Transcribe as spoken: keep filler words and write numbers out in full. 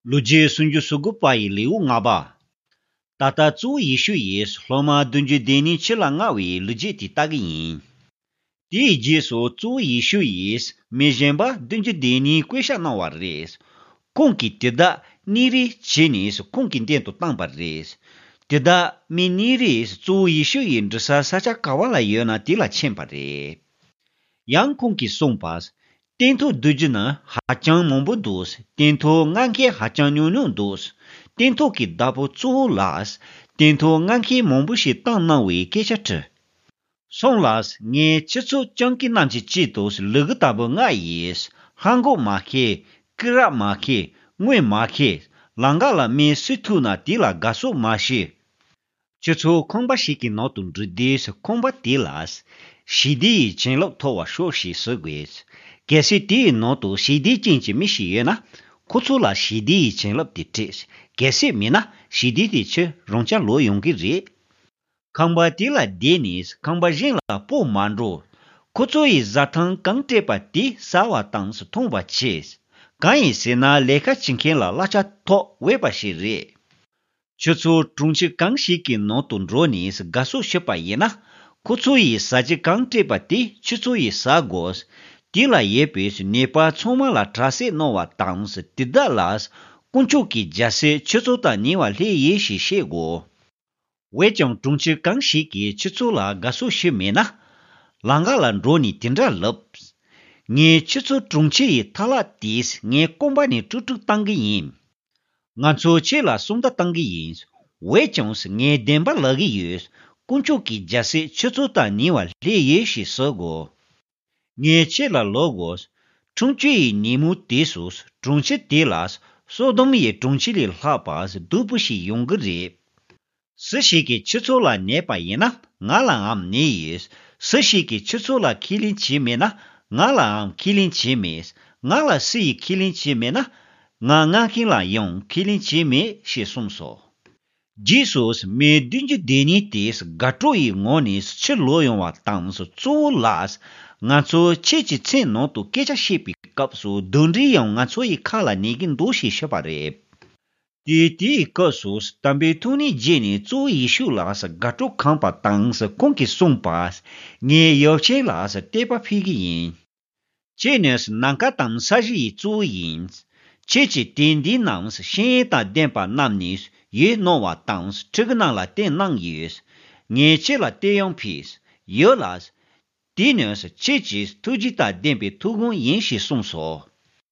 ལོ་རྒྱུས་སུམ་ཅུ་སོ་དགུ་པ་ཡི་ལེའུ་ལྔ་པ། ད་ལྟ་གཙོ་བོ་ཡེ་ཤུ་ཡིས་སློབ་མ་བདུན་ཅུ་དོན་གཉིས་ཕྱི་ལ་མངགས་པའི་ལོ་རྒྱུས་དེ་ལྟ་གི་ཡིན། དེའི་རྗེས་སུ་གཙོ་བོ་ཡེ་ཤུ་ཡིས་མི་གཞན་པ་བདུན་ཅུ་དོན་གཉིས་བསྐོ་བཞག་གནང་བ་རེད། ཁོང་གིས་དེ་དག་གཉིས་རེ་བྱས་ནས་ཁོང་གི་མདུན་དུ་བཏང་པ་རེད། དེ་དག་མི་གཉིས་རེས་གཙོ་བོ་ཡེ་ཤུ་ཡི་འགྲོ་ས་ས་ཆ་ག་བ་ལ་ཡོད་ན་དེ་ལ་ཕྱིན་པ་རེད། ཡང་ཁོང་གིས་གསུངས་པ། སྟོན་ཐོག་བསྡུ་རྒྱུ་ནི་ཧ་ཅང་མང་པོ་འདུག་སྟོན་ཐོག་མངགས་མཁན་ཧ་ཅང་ཉུང་ཉུང་འདུག་སྟོན་ཐོག་གི་བདག་པོ་གཙོ་བོ་ལ། སྟོན་ཐོག་མངགས་མཁན་མང་པོ་ཞིག་བཏང་གནང་བའི་སྐད་ཆ་དྲིས། སོང་ལ། ངས་ཁྱེད་ཚོ་སྤྱང་ཀི་རྣམས་ཀྱི་དཀྱིལ་དུ་ལུ་གུ་ལྟ་བུ་མངགས་ཡིན། ལྷམ་གོག་མ་འཁྱེར། སྐེ་རགས་མ་འཁྱེར། དངུལ་མ་འཁྱེར། ལམ་ཁ་ལ་མི་སུ་ཐུག་ན་དེ་ལ་དགའ་བསུ་མ་བྱེད། ཁྱེད་ཚོ་ཁང་པ་ཞིག་གི་ནང་དུ་འགྲོ་དུས་ཁང་པ་དེ་ལ། ཞི་བདེ་ཡི་བྱིན་རླབས་ཐོབ་པར་ཤོག་ཞེས་ཟེར་དགོས། གལ་སྲིད་དེའི་ནང་དུ་ཞི་བདེ་ཅན་གྱི་མི་ཞིག་ཡོད་ན། ཁོ་ཚོ་ལ་ཞི་བདེ་ཡི་བྱིན་རླབས་དེ་སྤྲད། གལ་སྲིད་མེད་ན་ཞི་བདེ་དེ་ཁྱེད་རང་རྐྱང་ལོག་ཡོང་གི་རེད། ཁང་པ་དེ་ལ་བསྡད་ནས་ཁང་པ་གཞན་ལ་སྤོ་མ་འགྲོ། ཁོ་ཚོ་ཡི་བཟའ་ཐང་གང་སྤྲད་པ་དེ་ཟ་བ་དང་འཐུང་བ་བྱེད། གང་ཡིན་ཟེར་ན་ལས་ཀ་བྱེད་མཁན་ལ་གླ་ཆ་ཐོབ་འོས་པ་ཞིག་རེད། ཁྱོད་ཚོ་གྲོང་ཁྱེར་གང་ཞིག་གི་ནང་དུ་འགྲོ་ནས་དགའ་བསུ་ཞུས་པ་ཡིན་ན། ཁོ་ཚོ་ཡིས་ཟ་རྒྱུ་གང་སྤྲད་པ་དེ་ཁྱོད་ཚོ་ཡིས་ཟ་དགོས། དེ་ལ་ཡོད་པའི་ནད་པ་ཚང་མ་ལ་དྲག་སྐྱེད་གནང་བ་དང་དེ་དག་ལ་དཀོན་མཆོག་གི་རྒྱལ་སྲིད་ཁྱོད་ཚོ་དང་ཉེ་བར་སླེབས་ཡོད་ཞེས་བཤད་དགོས། འོན་ཀྱང་གྲོང་ཁྱེར་གང་ཞིག་གིས་ཁྱོད་ཚོ་ལ་དགའ་བསུ་ཞུས་མེད་ན། ལམ་ཁ་ལ་འགྲོ་ནས་དེ་འདྲ་ལབ། ངས་ཁྱོད་ཚོ་གྲོང་ཁྱེར་ཡི་ཐ་ལག་དེས་ངའི་རྐང་པ་ནས་དཀྲུག་དཀྲུག་བཏང་གི་ཡིན། ང་ཚོ་ཁྱེད་ལ་སུམ་རྟགས་བཏང་གི་ཡིན། འོན་ཀྱང་ངས་བདེན་པ་ལབ་ཀྱི་ཡོད། དཀོན་མཆོག་གི་རྒྱལ་སྲིད་ཁྱོད་ཚོ་དང་ཉེ་བར་སླེབས་ཡོད་ཞེས་ཟེར་དགོས། ངས་ཁྱེད་ལ་ལབ་དགོས། འཁྲུངས་སྐྱེས་ཡི་ཉིན་མོ་དེ་སུ་གྲོང་ཁྱེར་དེ་ལ་སོ་དོམ་ཡི་གྲོང་ཁྱེར་ལས་ལྷག་པ་སྡུག་པོ་ཞིག་ཡོང་གི་རེད། སུ་ཞིག་གིས་ཁྱེད་ཚོ་ལ་ཉེས་པ་ཡིན་ན་ང་ལའང་ཉེས་ཡོད། སུ་ཞིག་གིས་ཁྱེད་ཚོ་ལ་ཁས་ལེན་བྱས་མེད་ན་ང་ལའང་ཁས་ལེན་བྱས་མེད། ང་ལ་སུ་ཡིས་ཁས་ལེན་བྱས་མེད་ན་ང་མངགས་མཁན་ལ་ཡང་ཁས་ལེན་བྱས་མེད་ཞེས་གསུངས་སོ། རྗེས་སུ་མི་བདུན་ཅུ་དོན་གཉིས་དེས་དགའ་སྤྲོ་ཡི་ངང་ནས་ཕྱིར་ལོག་ཡོང་བ་དང་གཙོ་བོ་ལ། ང་ཚོ་ཁྱེད་ཀྱི་མཚན་ནང་དུ་སྐད་ཆ་བཤད་པའི་སྐབས་སུ་གདོན་འདྲེ་ཡང་ང་ཚོ་ཡི་ཁ་ལ་ཉན་གྱི་འདུག་ཞེས་ཤོད་པ་རེད། དེ་དེའི་སྐབས་སུ་དམ་པའི་ཐུགས་ཉིད་བརྗེད་ནས་གཙོ་བོ་ཡེ་ཤུ་ལ་དགའ་སྤྲོ་ཁེངས་པ་དང་ཁོང་གིས་གསུངས་པ། ངས་ཡབ་ཆེན་ལ་དད་པ་འཕེལ་གྱི་ཡིན། ཁྱེད་ནི་ནམ་མཁའ་དང་ས་གཞི་ཡི་གཙོ་བོ་ཡིན། ཁྱེད་ཀྱིས་དེ་འདི་རྣམས་ཤེས་ཡོན་དང་ལྡན་པ་རྣམས་ནས་ཡོད་གནང་བ་དང་ཕྲུ་གུ་རྣམས་ལ་བསྟན་གནང་ཡོད། ངས་ཁྱེད་ལ་བསྟོད་དབྱངས་ཕུལ་ཡོད་ལ། དེ་ནི་ཁྱེད་ཀྱི་ཐུགས་རྗེ་དང་ལྡན་པའི་ཐུགས་དགོངས་ཡིན་ཞེས་གསུངས་སོ།